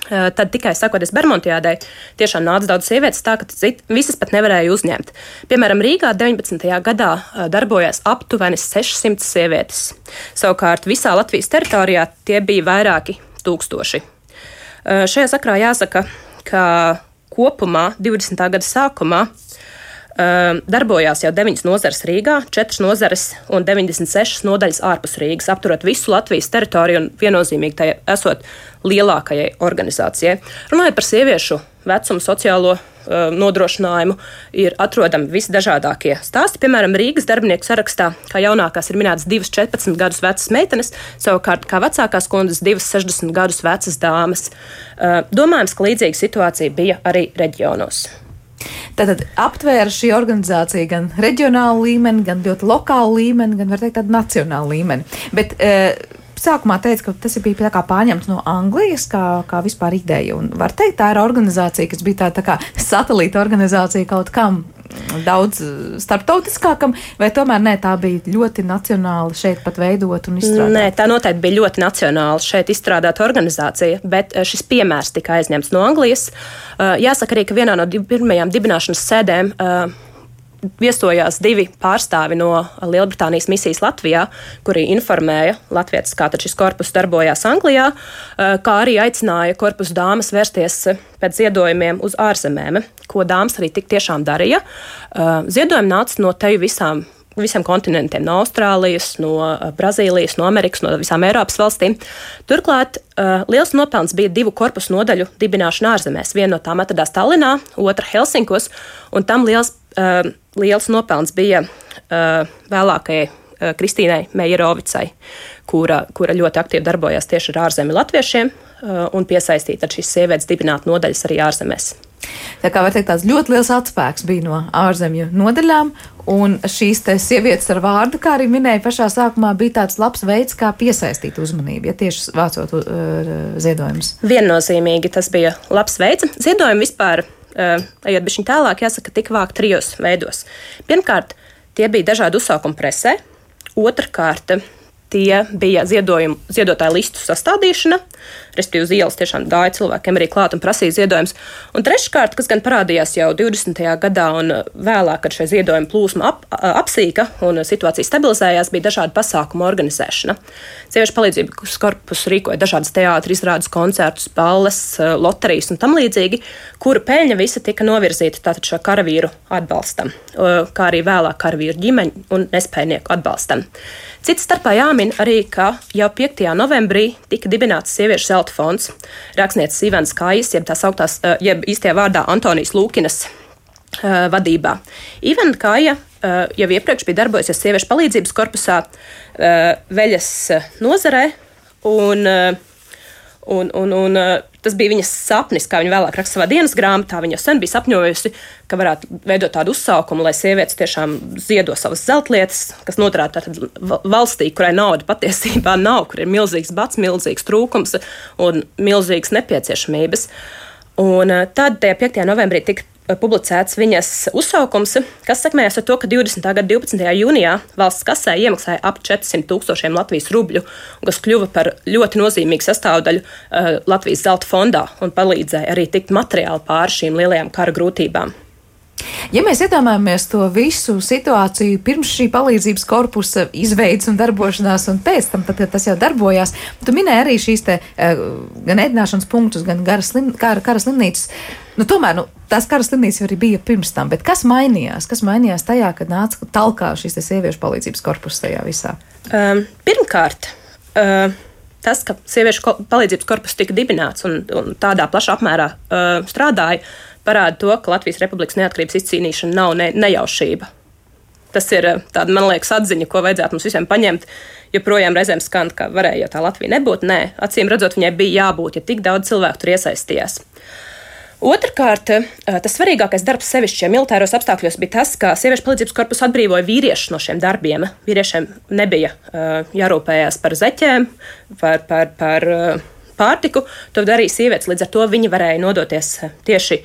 Tad tikai sakoties Bermontiādai, tiešām nāca daudz sievietes tā, ka cit, visas pat nevarēja uzņemt. Piemēram, Rīgā deviņpadsmitajā gadā darbojās aptuveni sešsimt sievietes. Savukārt visā Latvijas teritorijā tie bija vairāki tūkstoši. Šajā sakrā jāsaka, ka kopumā divdesmitā gada sākumā darbojās jau deviņas nozares Rīgā, četras nozares un deviņdesmit sešas nodaļas ārpus Rīgas, apturot visu Latvijas teritoriju un viennozīmīgi tai esot lielākajai organizācijai. Runājot par sieviešu vecumu, sociālo uh, nodrošinājumu, ir atrodami visdažādākie stāsti. Piemēram, Rīgas darbinieku sarakstā, kā jaunākās ir minētas divas četrpadsmit gadus vecas meitenes, savukārt kā vecākās kundzes divas sešdesmit gadus vecas dāmas. Uh, domājams, ka līdzīga situācija bija arī reģionos. Tātad aptvēra šī organizācija gan reģionālu līmeni, gan ļoti lokālu līmeni, gan var teikt tādu nacionālu līmeni. Bet e, sākumā teica, ka tas bija tā kā pārņemts no Anglijas, kā, kā vispār ideja. Un var teikt, tā ir organizācija, kas bija tā, tā kā satelīta organizācija kaut kam daudz starptautiskākam, vai tomēr nē, tā bija ļoti nacionāla šeit pat veidot un izstrādāt? Nē, tā noteikti bija ļoti nacionāla šeit izstrādāta organizācija, bet šis piemērs tika aizņemts no Anglijas. Jāsaka arī, ka vienā no pirmajām dibināšanas sēdēm viesojās divi pārstāvi no Lielbritānijas misijas Latvijā, kuri informēja latvietis, kā tad šis korpus darbojās Anglijā, kā arī aicināja korpusu dāmas vērsties pēc ziedojumiem uz ārzemēm, ko dāmas arī tik tiešām darīja. Ziedojumi nāca no teju visām visiem kontinentiem, no Austrālijas, no Brazīlijas, no Amerikas, no visām Eiropas valstīm. Turklāt uh, liels nopelns bija divu korpusu nodaļu dibināšana ārzemēs. Viena no tām atradās Tallinā, otra Helsinkos, un tam liels, uh, liels nopelns bija uh, vēlākajai uh, Kristīnai Mejerovicai, kura, kura ļoti aktīvi darbojās tieši ar ārzemju latviešiem uh, un piesaistīja tad šīs sievietes dibināt nodaļas arī ārzemēs. Tā kā var teikt, tāds ļoti liels atspēks bija no ārzemju nodaļām, un šīs te sievietes ar vārdu, kā arī minēja pašā sākumā, bija tāds labs veids, kā piesaistīt uzmanību, ja tieši vācot uh, ziedojumus. Viennozīmīgi tas bija labs veids. Ziedojumi vispār, uh, ejot bišķiņ tālāk, jāsaka, tika vākt trijos veidos. Pirmkārt, tie bija dažādi uzsaukumi presē. Otrkārt, tie bija ziedojumu, ziedotāju listu sastādīšana, respektīvi uz ielas tiešām gāja cilvēkiem arī klāt un prasīja ziedojumus. Un treškārt, kas gan parādījās jau divdesmitajā gadā un vēlāk, kad šie ziedojumi plūsma ap, apsīka un situācija stabilizējās, bija dažādi pasākumu organizēšana. Sieviešu palīdzības korpus rīkoja dažādas teātri, izrādes, koncertus, balles, loterijas un tam līdzīgi, kuru peļņa visa tika novirzīta tātad šo karavīru atbalstam, kā arī vēlāk karavīru ģimeņu un nespējnieku atbalstam. Cits starpā jāmin arī, ka jau piektajā novembrī tika dibināts sieviešu zelta fonds. Rakstnieces Ivans Kājas, jeb tās augtās, jeb īstajā vārdā Antonijas Lūkinas uh, vadībā. Ivana Kāja uh, jau iepriekš bija darbojusies sieviešu palīdzības korpusā uh, veļas nozarē, un, uh, un, un, un uh, tas bija viņas sapnis, kā viņa vēlāk raksta savā dienas grāmatā. Viņa jau sen bija sapņojusi, ka varētu veidot tādu uzsaukumu, lai sievietes tiešām ziedo savas zeltlietas, kas noturētu tātad valstī, kurai nauda patiesībā nav, kur ir milzīgs bats, milzīgs trūkums un milzīgas nepieciešamības. Un tad piektajā novembrī tika publicēts viņas uzsaukums, kas sekmējās ar to, ka divdesmitā gada divpadsmitajā jūnijā valsts kasē iemaksāja ap četrsimt tūkstošiem Latvijas rubļu, kas kļuva par ļoti nozīmīgu sastāvdaļu uh, Latvijas zelta fondā un palīdzēja arī tikt materiāli pāri šīm lielajām kara grūtībām. Ja mēs iedomājamies to visu situāciju pirms šī palīdzības korpusa izveidas un darbošanās, un pēc tam, tad, kad tas jau darbojās, tu minēji arī šīs te gan ēdināšanas punktus, gan slim, kara, kara slimnīcas. Nu, tomēr, nu, tās kara slimnīcas jau arī bija pirms tam, bet kas mainījās? Kas mainījās tajā, kad nāca talkā šīs te sieviešu palīdzības korpusa tajā visā? Um, pirmkārt, uh, tas, ka sieviešu palīdzības korpus tika dibināts un, un tādā plašā apmērā uh, strādāja, parāda to, ka Latvijas Republikas neatkarības izcīnīšana nav ne, nejaušība. Tas ir tāda, man liekas, atziņa, ko vajadzētu mums visiem paņemt, jo projām reizēm skan, ka varēja jau tā Latvija nebūt. Nē, acīm redzot, viņai bija jābūt, ja tik daudz cilvēku tur iesaistījās. Otrkārt, tas svarīgākais darbs sevišķi militāros apstākļos bija tas, ka sieviešu palīdzības korpus atbrīvoja vīriešus no šiem darbiem. Vīriešiem nebija uh, jārūpējās par zeķēm, par, par, par uh, pārtiku, to darīja sievietes, līdz ar to viņi varēja nodoties tieši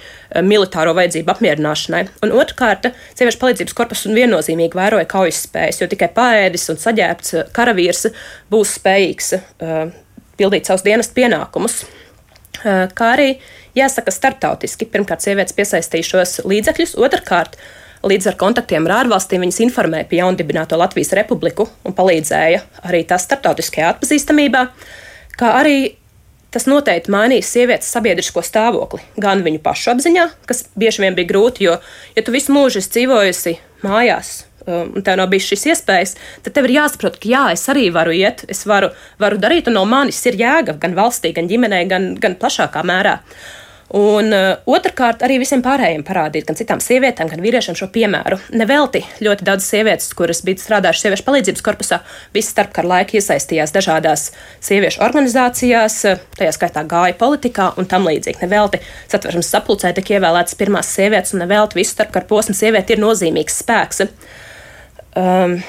militāro vajadzību apmierināšanai. Un otrkārt, sieviešu palīdzības korpus viennozīmīgi vēroja kaujas spējas, jo tikai paēdis un saģērbts karavīrs būs spējīgs uh, pildīt savus dienas pienākumus. Uh, kā arī jāsaka starptautiski, pirmkārt sievietes piesaistījušos līdzekļus, otrkārt līdz ar kontaktiem ar ārvalstīm viņas informēja par jaundibināto Latvijas Republiku un palīdzēja arī tās starptautiskajā atpazīstamībā, kā arī tas noteikti mainīs sievietes sabiedrisko stāvokli, gan viņu pašu apziņā, kas bieži vien bija grūti, jo, ja tu visu mūžu esi dzīvojusi mājās um, un tev nav bijis šīs iespējas, tad tev ir jāsaprot, ka jā, es arī varu iet, es varu, varu darīt, un no manis ir jēga gan valstī, gan ģimenei, gan, gan plašākā mērā. Un uh, otrkārt arī visiem pārējiem parādīt, gan citām sievietēm, gan vīriešiem šo piemēru. Nevelti ļoti daudz sievietes, kuras bija strādājušas sieviešu palīdzības korpusā, visi starpkara laika iesaistījās dažādās sieviešu organizācijās, tajā skaitā gāja politikā un tam līdzīgi. Nevelti Satversmes sapulcē tika ievēlētas pirmās sievietes, un nevelti visu starpkara posmu sieviete ir nozīmīgs spēks. Um,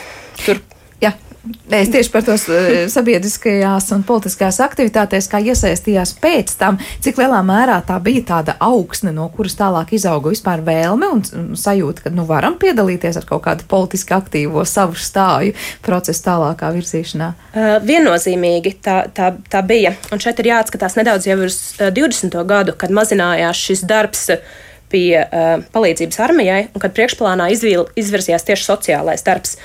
tur Jā. Es tieši par to sabiedriskajās un politiskajās aktivitātēs, kā iesaistījās pēc tam, cik lielā mērā tā bija tāda augsne, no kuras tālāk izauga vispār vēlme un sajūta, ka nu varam piedalīties ar kaut kādu politiski aktīvo savu stāju procesu tālākā virzīšanā. Uh, viennozīmīgi tā, tā, tā bija. Un šeit ir jāatskatās nedaudz jau uz divdesmito gadu, kad mazinājās šis darbs pie uh, palīdzības armijai, un kad priekšplānā izvīl, izvirzījās tieši sociālais darbs.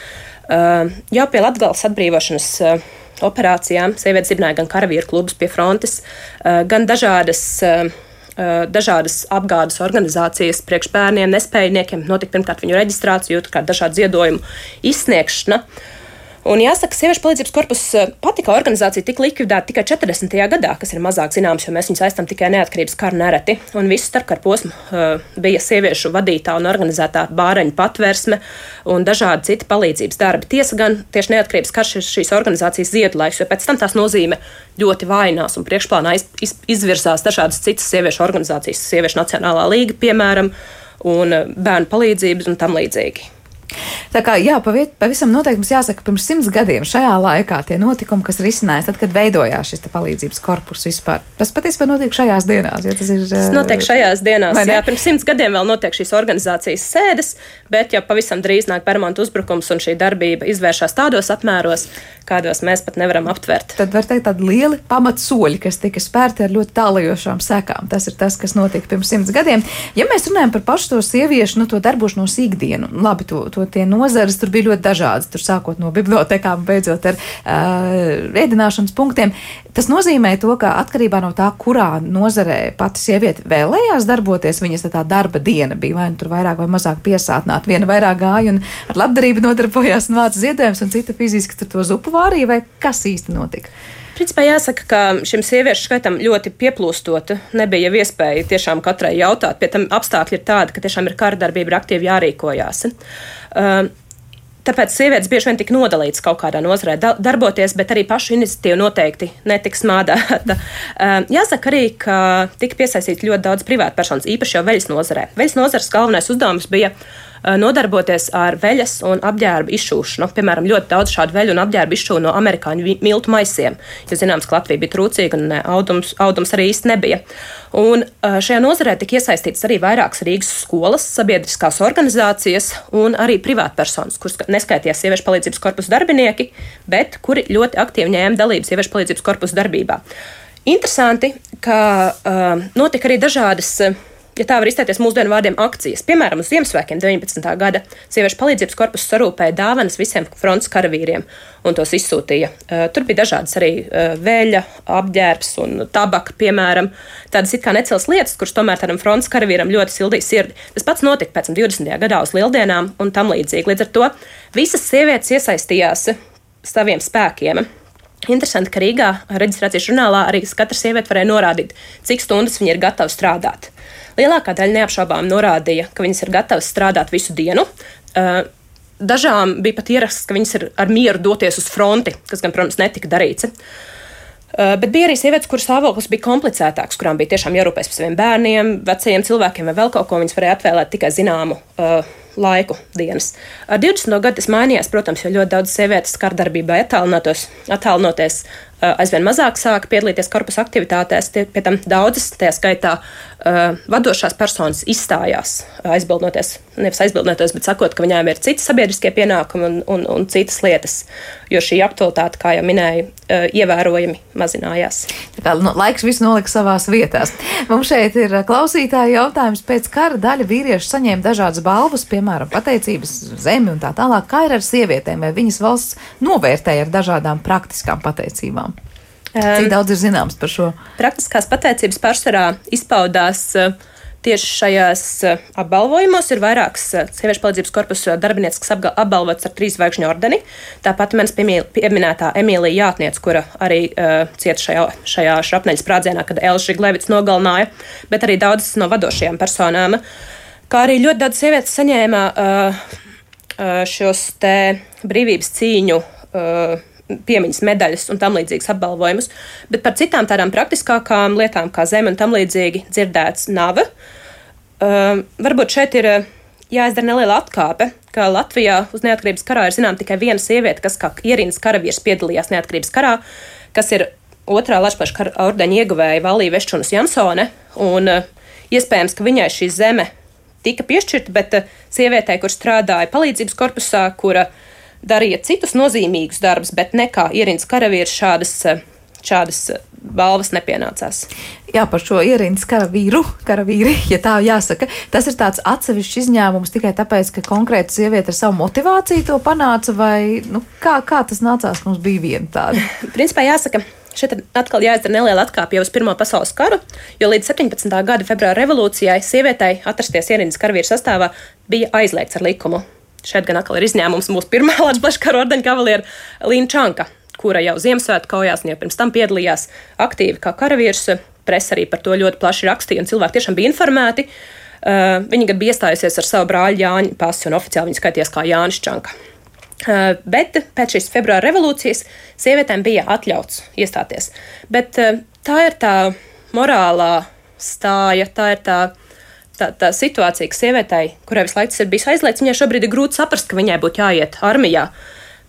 Uh, jau pie Latgales atbrīvošanas uh, operācijām sievietes dibināja gan karavīru klubus pie frontes, uh, gan dažādas, uh, uh, dažādas apgādes organizācijas priekš bērniem, nespējniekiem. Notika pirmkārt viņu reģistrācija, otrkārt dažādu ziedojumu izsniegšana. Un jāsaka, sieviešu palīdzības korpus pati kā organizācija tika likvidēta tikai četrdesmitajā gadā, kas ir mazāk zināms, jo mēs viņus aizstam tikai neatkarības karu nereti. Un visu starpkaru posmu uh, bija sieviešu vadītā un organizētā bāreņu patversme un dažādi citi palīdzības darbi. Tiesa gan tieši neatkarības karš ir šīs organizācijas ziedulaiks, jo pēc tam tās nozīme ļoti vainās un priekšplānā iz, iz, izvirzās dažādas citas sieviešu organizācijas, Sieviešu Nacionālā līga, piemēram, un bērnu palīdzības un tam līdzīgi. Tā kā, jā, paviet, pavisam noteikti mums jāsaka, pirms simts gadiem šajā laikā tie notikumi, kas risinājās, tad, kad veidojās šis palīdzības korpus vispār, tas patiesībā notiek šajās dienās, ja tas ir... Tas notiek šajās dienās, jā, pirms simts gadiem vēl notiek šīs organizācijas sēdes, bet jau pavisam drīz nāk permanentu uzbrukums un šī darbība izvēršās tādos apmēros, kādos mēs pat nevaram aptvert. Tad var teikt tādi lieli pamatsoļi, kas tika spērti ar ļoti tālajošām sekām. Tas ir tas, kas notika pirms simts gadiem. Ja mēs runājam par pašu to sieviešu, nu, to darbošanos ikdienu, labi, to, to tie nozares tur bija ļoti dažādas, tur sākot no bibliotekām, beidzot ar uh, ēdināšanas punktiem. Tas nozīmē to, ka atkarībā no tā, kurā nozarē pati sieviete vēlējās darboties, viņas tā darba diena bija, vai nu tur vairāk vai mazāk piesātnāt. Viena vairāk gāja un ar labdarību nodarbojās un vāca ziedojumus, un cita fiziski tur to zupu vārīja, vai kas īsti notika? Principā jāsaka, ka šim sieviešu skaitam ļoti pieplūstot, nebija jau iespēja tiešām katrai jautāt. Pie tam apstākļi ir tādi, ka tiešām ir kara darbība, ir aktīvi jārīkojās. Uh, Tāpēc sievietes bieži vien tika nodalītas kaut kādā nozarē darboties, bet arī pašu iniciatīvu noteikti netiks smādēta. Jāsaka arī, ka tika piesaistīti ļoti daudz privātpersonas, īpaši jau veļas nozarē. Veļas nozares galvenais uzdevums bija nodarboties ar veļas un apģērbu izšūšanu. Piemēram, ļoti daudz šādu veļu un apģērbu izšūnu no amerikāņu miltu maisiem, jo zināms, ka Latvija bija trūcīga un audums, audums arī īsti nebija. Un šajā nozarē tika iesaistītas arī vairākas Rīgas skolas, sabiedriskās organizācijas un arī privātpersonas, kuras neskaitījās sieviešu palīdzības korpusu darbinieki, bet kuri ļoti aktīvi ņēma dalību sieviešu palīdzības korpusu darbībā. Interesanti, ka uh, notika arī dažādas, ja tā var izteikties mūsdienu vārdiem, akcijas. Piemēram, uz Ziemassvētkiem deviņpadsmitā gada sieviešu palīdzības korpusu sarūpēja dāvanas visiem frontes karavīriem un tos izsūtīja. Uh, tur bija dažādas arī uh, veļa, apģērbs un tabaka, piemēram. Tādas it kā necels lietas, kuras tomēr tādam frontes karavīram ļoti sildīja sirdi. Tas pats notika pēc tam divdesmitajā gadā uz Lieldienām un tam līdzīgi. Līdz ar to visas sievietes iesaistījās saviem spēkiem. Interesanti, ka Rīgā reģistrācijas žurnālā arī katra sieviete varēja norādīt, cik stundas viņa ir gatava strādāt. Lielākā daļa neapšaubām norādīja, ka viņas ir gatavas strādāt visu dienu. Dažām bija pat ieraksts, ka viņas ir ar mieru doties uz fronti, kas gan, protams, netika darīts. Bet bija arī sievietes, kuras stāvoklis bija komplicētāks, kurām bija tiešām jārūpēs par saviem bērniem, vecajiem cilvēkiem vai vēl kaut ko. Viņas varēja atvēlēt tikai zināmu uh, laiku dienas. Ar divdesmito gadu tas mainījās, protams, jo ļoti daudz sievietes kardarbībā attālinoties aizvien mazāk sāka piedalīties korpusa aktivitātēs. Tie, pie tam daudzas, tajā skaitā uh, vadošās personas izstājās, aizbildnoties, nevis aizbildnoties, bet sakot, ka viņām ir citi sabiedriskie pienākumi un, un, un citas lietas, jo šī aktualitāte, kā jau minēju, uh, ievērojami mazinājās. Tā kā nu, laiks viss nolika savās vietās. Mums šeit ir klausītāji jautājums, pēc kara daļa vīriešu saņēma dažādas balvas, piemēram, pateicības zemi un tā tālāk. Kā ir ar sievietēm, vai viņas valsts novērtēja ar dažādām praktiskām pateicībām? Cik daudz ir zināms par šo? Praktiskās pateicības pārsvarā izpaudās tieši šajās apbalvojumos. Ir vairākas sieviešu palīdzības korpusa darbinieces, kas apbalvotas ar trīs zvaigžņu ordeni. Tāpat manis pieminētā Emīlija Jātniece, kura arī uh, cieta šajā, šajā šrapneļa sprādzienā, kad Elža Žiglevits nogalināja, bet arī daudzas no vadošajām personām. Kā arī ļoti daudz sievietes saņēma uh, uh, šos te brīvības cīņu uh, piemiņas medaļas un tam līdzīgas apbalvojumus, bet par citām tādām praktiskākām lietām kā zeme un tam līdzīgi dzirdēts nav. Uh, varbūt šeit ir jāizdara neliela atkāpe, ka Latvijā uz neatkarības karā ir zinām tikai viena sieviete, kas kā ierīnas karavīrs piedalījās neatkarības karā, kas ir otrā Latvijas kara ordeņa ieguvēja Valija Veščunas Jansone, un uh, iespējams, ka viņai šī zeme tika piešķirta, bet uh, sievietei, kur strādāja palīdzības korpusā, kura darīja citus nozīmīgus darbus, bet ne kā ierīnas karavīrs šādas, šādas balvas nepienācās. Jā, par šo ierindas karavīru, karavīri, ja tā jāsaka, tas ir tāds atsevišķs izņēmums tikai tāpēc, ka konkrēta sieviete ar savu motivāciju to panāca, vai nu, kā, kā tas nācās, ka mums bija viena tāda? Principā jāsaka, šeit atkal jāizdara neliela atkāpja uz Pirmo pasaules karu, jo līdz septiņpadsmitā gada februāra revolūcijai sievietei atrasties ierindas karavīru sastāvā bija aizliegts ar likumu. Šeit gan atkal ir izņēmums mūsu pirmā Latvijas plaškara ordeņa kavaliera Līna Čanka, kura jau Ziemassvētku kaujās un jau pirms tam piedalījās aktīvi kā karavīrs. Presa arī par to ļoti plaši rakstīja, un cilvēki tiešām bija informēti. Uh, viņa gan bija iestājusies ar savu brāļu Jāņa pasi, un oficiāli viņa skaities kā Jānis Čanka. Uh, bet pēc šīs februāra revolūcijas sievietēm bija atļauts iestāties. Bet uh, tā ir tā morālā stāja, tā ir tā, tā, tā situācija, ka sievietei, kurai visu laiku tas ir bijis aizliegts, viņai šobrīd ir grūti saprast, ka viņai būtu jāiet armijā.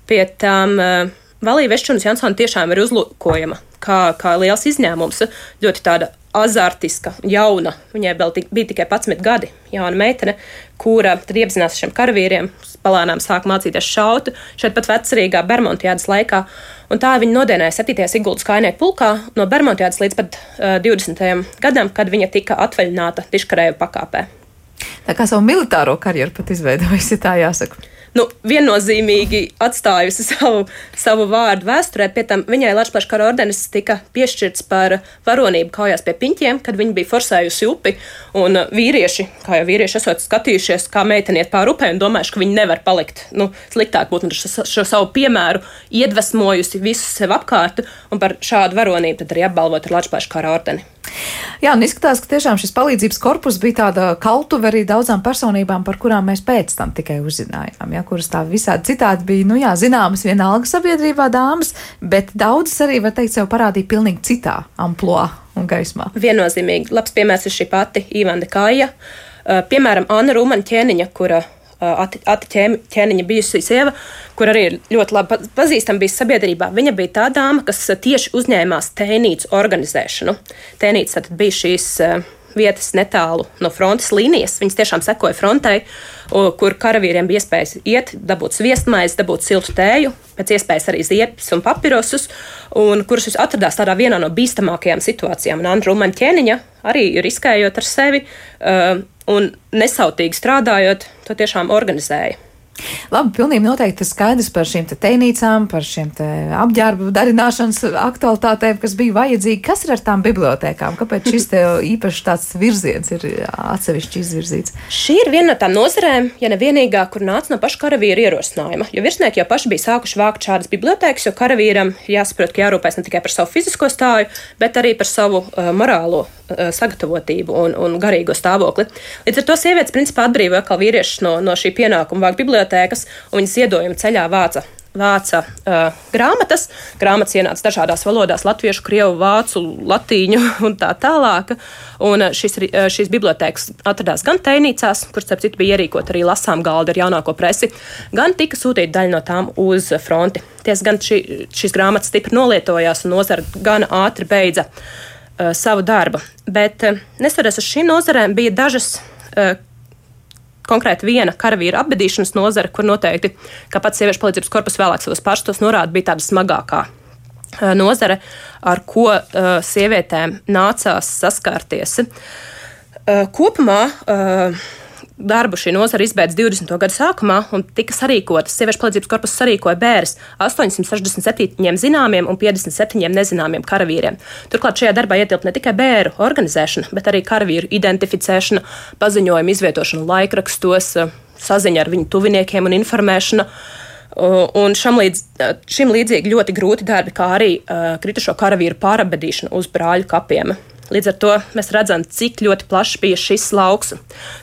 Pie tām uh, Valija Veščunas Jansone tiešām ir uzlūkojama kā, kā liels izņēmums, ļoti tāda azartiska, jauna. Viņai vēl tik, bija tikai padsmit gadi, jauna meitene, kura tad iepazinās šiem karavīriem, palēnām sāk mācīties šaut, šeit pat vecrīgā Bermontiādas laikā. Un tā viņa nodienēja septītajā Siguldas kājnieku pulkā no Bermontiādas līdz pat uh, divdesmitajam gadam, kad viņa tika atvaļināta diškarēju pakāpē. Tā kā savu militāro karjeru pat izveidojusi, tā jāsaka. Nu, viennozīmīgi atstājusi savu, savu vārdu vēsturē, pie tam viņai Latvijas plaškara ordenis tika piešķirts par varonību kaujās pie piņķiem, kad viņa bija forsējusi upi, un vīrieši, kā jau vīrieši esot skatījušies, kā meiteni iet pāri upē un domājuši, ka viņi nevar palikt, nu, sliktāk būt, un šo, šo savu piemēru iedvesmojusi visus sev apkārt, un par šādu varonību tad arī apbalvot ar Latvijas plaškara ordeni. Jā, un izskatās, ka tiešām šis palīdzības korpus bija tāda kautuve arī daudzām personībām, par kurām mēs pēc tam tikai uzzinājām, ja, kuras tā visādi citādi bija, nu jā, zināmas vienalga sabiedrībā dāmas, bet daudzas arī, var teikt, sev parādīja pilnīgi citā amploā un gaismā. Viennozīmīgi. Labs piemērs ir šī pati Ivanda Kāja, piemēram, Anna Rūmaņa Ķēniņa, kura Ati, ati Ķēniņa bijusī sieva, kur arī ir ļoti labi pazīstama bijis sabiedrībā. Viņa bija tā dāma, kas tieši uzņēmās tēnīcu organizēšanu. Tēnīca tad bija šīs vietas netālu no frontes līnijas. Viņas tiešām sekoja frontei, kur karavīriem bija iespējas iet, dabūt sviestmaizi, dabūt siltu tēju, pēc iespējas arī ziepes un papirosus, un kuras atradās tādā vienā no bīstamākajām situācijām. Un Anna Rūmaņa Ķēniņa arī riskējot ar sevi, uh, un nesautīgi strādājot, to tiešām organizēja. Labi, pilnīgi noteikti skaidrs par šīm te teinīcām, par šīm te apģērbu darināšanas aktualitātēm, kas bija vajadzīgi. Kas ir ar tām bibliotēkām? Kāpēc šis te īpaši tāds virziens ir atsevišķi izvirzīts? Šī ir viena no tām nozarēm, ja ne vienīgā, kur nāca no paša karavīra ierosinājuma. Jo virsnieki jau paši bija sākuši vākt šādas bibliotēkas, jo karavīram jāsaprot, ka jārūpēs ne tikai par savu fizisko stāju, bet arī par savu uh, morālo uh, sagatavotību un, un garīgo stāvokli. Līdz ar to sievietes principā atbrīvoja atkal vīriešus no, no šī pienākuma vākt bibliotēkas. Un viņas iedojuma ceļā vāca, vāca uh, grāmatas. Grāmatas ienāca dažādās valodās, latviešu, krievu, vācu, latīņu un tā tālāk. Un šis, šīs bibliotēkas atradās gan teinīcās, kur, starp citu, bija ierīkot arī lasām galda ar jaunāko presi, gan tika sūtīta daļa no tām uz fronti. Ties gan šī, šīs grāmatas stipri nolietojās un nozara gan ātri beidza uh, savu darbu. Bet uh, nesoties uz šīm nozarēm bija dažas uh, konkrēti viena karavīra apbedīšanas nozara, kur noteikti, kā pats sieviešu palīdzības korpus vēlāk savos pārstos norāda, bija tāda smagākā uh, nozare, ar ko uh, sievietēm nācās saskārties. Uh, kopumā uh, darbu šī nozara izbeidz divdesmito gadu sākumā un tika sarīkotas. Sieviešu palīdzības korpus sarīkoja bēres astoņsimt sešdesmit septiņiem zināmiem un piecdesmit septiņiem nezināmiem karavīriem. Turklāt šajā darbā ietilpt ne tikai bēru organizēšana, bet arī karavīru identificēšana, paziņojumu izvietošana laikrakstos, saziņa ar viņu tuviniekiem un informēšana. Un šam līdz, šim līdzīgi ļoti grūti darbi, kā arī kritušo karavīru pārabedīšana uz brāļu kapiem. Līdz ar to mēs redzam, cik ļoti plašs bija šis lauks.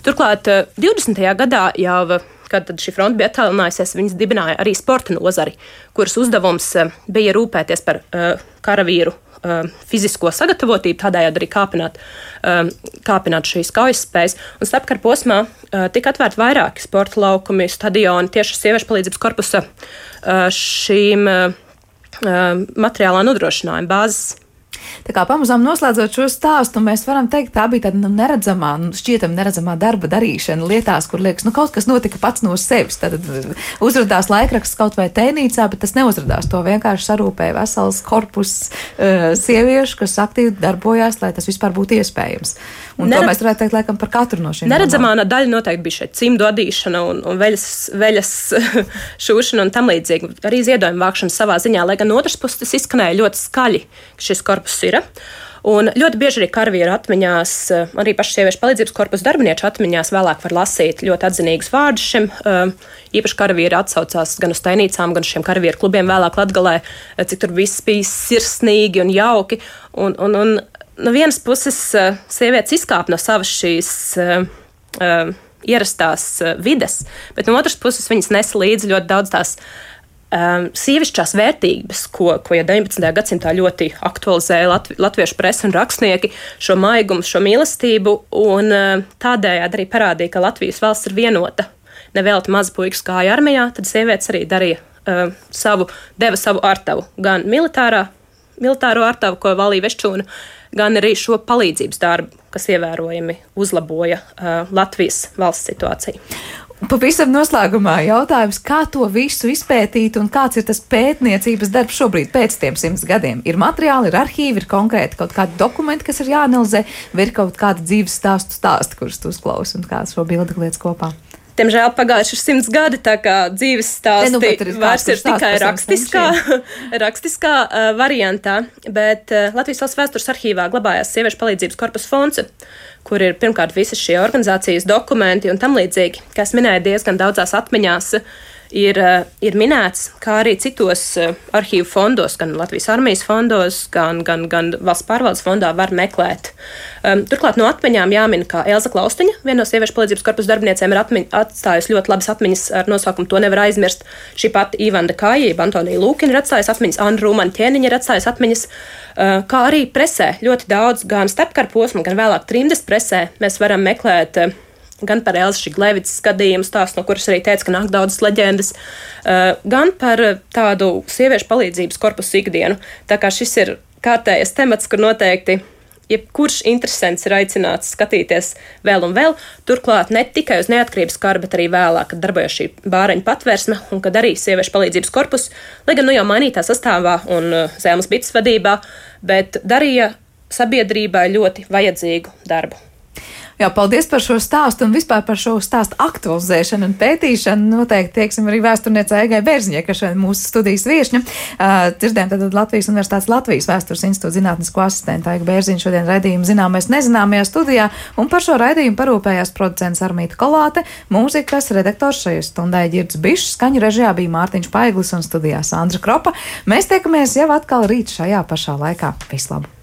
Turklāt divdesmitajā gadā jau, kad šī fronte bija attālinājusies, viņas dibināja arī sporta nozari, kuras uzdevums bija rūpēties par uh, karavīru uh, fizisko sagatavotību, tādējādi arī kāpināt, uh, kāpināt šīs kaujas spējas. Un starpkara posmā uh, tika atvērti vairāki sporta laukumi, stadioni tieši sieviešu palīdzības korpusa uh, šīm uh, materiālā nodrošinājuma bāzes Tā kā pamazām noslēdzot šo stāstu, mēs varam teikt, tā bija tāda nu, neredzamā, nu, šķietam neredzamā darba darīšana lietās, kur liekas, nu kaut kas notika pats no sevis. Tad uzradās laikraksts kaut vai tēnīcā, bet tas neuzradās. To vienkārši sarūpēja vesels korpus uh, sieviešu, kas aktīvi darbojās, lai tas vispār būtu iespējams. Un Neredz... to mēs varētu teikt laikam par katru no šīm. Neredzamā daļa noteikti bija šeit cimdu adīšana un, un veļas, veļas šūšana un tam līdzīgi. Arī ziedojuma vākšana savā ziņā, lai gan otrs puses tas izskanēja ļoti skaļi, ka šis korpus ir. Un ļoti bieži arī karavīru atmiņās, arī pašu sieviešu palīdzības korpusu darbinieku atmiņās vēlāk var lasīt ļoti atzinīgus vārdus šim. Īpaši karavīri atsaucās gan uz tainīcām, gan uz šiem karavīru klubiem vēlāk Latgalē, cik tur viss bija sirsnīgi un jauki. Un, un, un no vienas puses sievietes izkāp no savas šīs uh, uh, ierastās vides, bet no otras puses viņas nesa līdzi ļoti daudz tās Um, sievišķās vērtības, ko, ko jau deviņpadsmitajā gadsimtā ļoti aktualizēja Latvi, latviešu presa un rakstnieki, šo maigumu, šo mīlestību, un uh, tādējādi arī parādīja, ka Latvijas valsts ir vienota. Nevelti mazi puikas gāja armijā, tad sievietes arī darīja uh, savu, deva savu artavu, gan militārā, militāro artavu, ko valīja Veščūna, gan arī šo palīdzības darbu, kas ievērojami uzlaboja uh, Latvijas valsts situāciju. Pavisam noslēgumā jautājums, kā to visu izpētīt un kāds ir tas pētniecības darbs šobrīd pēc tiem simts gadiem? Ir materiāli, ir arhīvi, ir konkrēti kaut kādi dokumenti, kas ir jāanalizē, vai ir kaut kāda dzīves stāstu stāsti, kurus tu uzklausi un kāds šo bildi lietas kopā? Diemžēl pagājuši ir simts gadi, tā kā dzīves stāsti ne, nu, ir vairs ir tikai rakstiskā, rakstiskā uh, variantā, bet uh, Latvijas valsts vēstures arhīvā glabājās sieviešu palīdzības korpusa fonds, kur ir pirmkārt visas šie organizācijas dokumenti un tam līdzīgi, kā es minēju, diezgan daudzās atmiņās ir, ir minēts, kā arī citos arhīvu fondos, gan Latvijas armijas fondos, gan, gan, gan valsts pārvaldes fondā var meklēt. Um, turklāt no atmiņām jāmin, ka Elza Klaustiņa, viena no sieviešu palīdzības korpusa darbiniecēm, ir atmiņ, atstājusi ļoti labas atmiņas ar nosaukumu To nevar aizmirst. Šī pati Ivanda Kājība, Antonija Lūkina ir atstājusi atmiņas, Anna Rūmana Ķēniņa ir atstājusi atmiņas, uh, kā arī presē ļoti daudz, gan starpkara posmu, gan vēlāk trimdes presē mēs varam meklēt uh, gan par Elzas Šiglevicas gadījumu stāstu, no kuras arī teica, ka nāk daudzas leģendas, gan par tādu sieviešu palīdzības korpusu ikdienu. Tā kā šis ir kārtējais temats, kur noteikti jebkurš interesants ir aicināts skatīties vēl un vēl. Turklāt ne tikai uz neatkarības karu, bet arī vēlāk, kad darbojas šī bāreņu patvērsme un kad arī sieviešu palīdzības korpus, lai gan nu jau mainītā sastāvā un Zēmas Bites vadībā, bet darīja sabiedrībai ļoti vajadzīgu darbu. Jā, paldies par šo stāstu un vispār par šo stāstu aktualizēšanu un pētīšanu. Noteikti tieksim arī vēsturniecei Eigai Bērziņai, kas šeit mūsu studijas viešņa. Uh, dzirdējām tātad Latvijas Universitātes Latvijas Vēstures institūta zinātnisko asistentu Aiga Bērziņu šodien raidījumu Zināmais nezināmajā studijā, un par šo raidījumu parūpējās producents Armīta Kolāte, mūzikas redaktors šajā stundai Ģirds Bišs, skaņu režijā bija Mārtiņš Paiglis un studijā Sandra Kropa. Mēs tiekamies jau atkal rīt šajā pašā laikā. Vislabāk!